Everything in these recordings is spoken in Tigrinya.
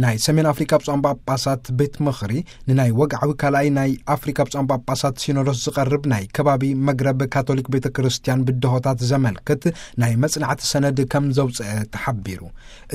ናይ ሰሜን ኣፍሪካ ብፁዓን ጳጳሳት ቤት ምኽሪ፣ ንናይ ወግዓዊ ካልኣይ ናይ ኣፍሪካ ብፁዓን ጳጳሳት ሲኖዶስ ዝቐርብ ናይ ከባቢ መግረብ ካቶሊክ ቤተ ክርስቲያን ብድሆታት ዘመልክት ናይ መጽናዕቲ ሰነድ ከም ዘውፅአ ተሓቢሩ።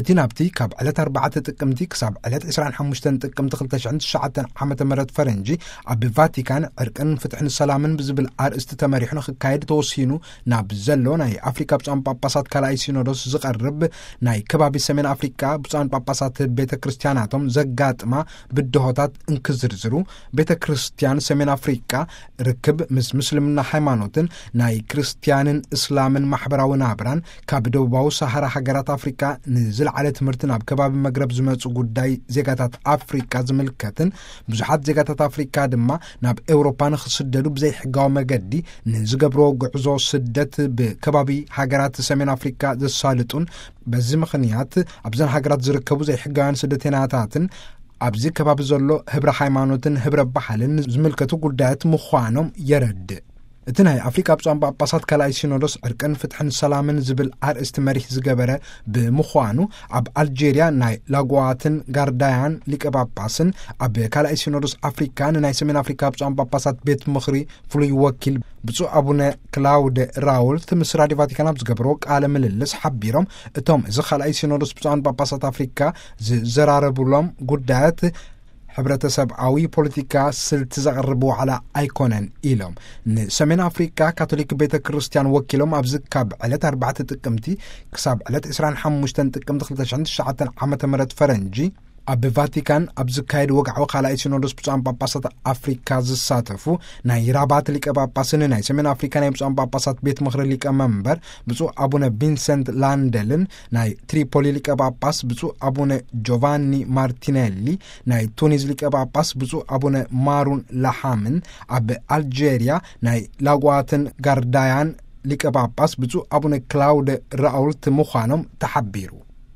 እቲ ናብቲ ካብ ዕለት ኣርባዕተ ጥቅምቲ ክሳብ ዕለት ዕስራን ሓሙሽተን ጥቅምቲ ክልተ ሽሕን ትሽዓተን ዓመተ ምህረት ፈረንጂ ኣብ ቫቲካን ዕርቅን ፍትሕን ሰላምን ብዝብል ኣርእስቲ ተመሪሑ ንክካየድ ተወሲኑ ናብ ዘሎ ናይ ኣፍሪካ ብፁዓን ጳጳሳት ካልኣይ ሲኖዶስ ዝቐርብ ናይ ከባቢ ሰሜን ኣፍሪካ ብፁዓን ጳጳሳት ቤተ ክርስቲያናቶም ዘጋጥማ ብድሆታት እንክዝርዝሩ፣ ቤተ ክርስቲያን ሰሜን ኣፍሪካ ርክብ ምስ ምስልምና ሃይማኖትን ናይ ክርስቲያንን እስላምን ማሕበራዊ ናብራን፣ ካብ ደቡባዊ ሰሃራ ሃገራት ኣፍሪካ ንዝለዓለ ትምህርቲ ናብ ከባቢ መግረብ ዝመጹ ጉዳይ ዜጋታት ኣፍሪካ ዝምልከትን፣ ብዙሓት ዜጋታት ኣፍሪካ ድማ ናብ ኤውሮፓ ንክስደዱ ብዘይሕጋዊ መገዲ ንዝገብርዎ ጉዕዞ ስደት ብከባቢ ሃገራት ሰሜን ኣፍሪካ ዘሳልጡን፣ በዚ ምኽንያት ኣብዘን ሃገራት ዝርከቡ ዘይሕጋውያን ስደተኛታትን ኣብዚ ከባቢ ዘሎ ህብረ ሃይማኖትን ህብረ ባህልን ዝምልከቱ ጉዳያት ምዃኖም የረድእ። እቲ ናይ ኣፍሪካ ብፁዓን ጳጳሳት ካልኣይ ሲኖዶስ ዕርቅን ፍትሕን ሰላምን ዝብል ኣርእስቲ መሪሕ ዝገበረ ብምዃኑ፣ ኣብ ኣልጄርያ ናይ ላጓዋትን ጋርዳያን ሊቀ ጳጳስን፣ ኣብ ካልኣይ ሲኖዶስ ኣፍሪካ ንናይ ሰሜን ኣፍሪካ ብፁዓን ጳጳሳት ቤት ምኽሪ ፍሉይ ወኪል ብፁዕ ኣቡነ ክላውደ ራውልት ምስ ራዲዮ ቫቲካን ኣብ ዝገበርዎ ቃለ ምልልስ ሓቢሮም፣ እቶም እዚ ካልኣይ ሲኖዶስ ብፁዓን ጳጳሳት ኣፍሪካ ዝዘራረቡሎም ጉዳያት ሕብረተሰብኣዊ ፖለቲካ ስልቲ ዘቕርብ ዋዕላ ኣይኮነን ኢሎም። ንሰሜን ኣፍሪካ ካቶሊክ ቤተ ክርስቲያን ወኪሎም ኣብዚ ካብ ዕለት ኣርባዕተ ጥቅምቲ ክሳብ ዕለት ዕስራን ሓሙሽተን ጥቅምቲ ክልተ ሽሕን ትሽዓተን ዓመተ ምህረት ፈረንጂ ኣብ ቫቲካን ኣብ ዝካየድ ወግዓዊ ካልኣይ ሲኖዶስ ብፁዓን ጳጳሳት ኣፍሪካ ዝሳተፉ ናይ ራባት ሊቀ ጳጳስን ናይ ሰሜን ኣፍሪካ ናይ ብፁዓን ጳጳሳት ቤት ምኽሪ ሊቀ መንበር ብፁዕ ኣቡነ ቪንሰንት ላንደልን፣ ናይ ትሪፖሊ ሊቀ ጳጳስ ብፁዕ ኣቡነ ጆቫኒ ማርቲኔሊ፣ ናይ ቱኒዝ ሊቀ ጳጳስ ብፁዕ ኣቡነ ማሩን ላሓምን፣ ኣብ ኣልጄርያ ናይ ላጓትን ጋርዳያን ሊቀ ጳጳስ ብፁዕ ኣቡነ ክላውደ ራውልት ምዃኖም ተሓቢሩ።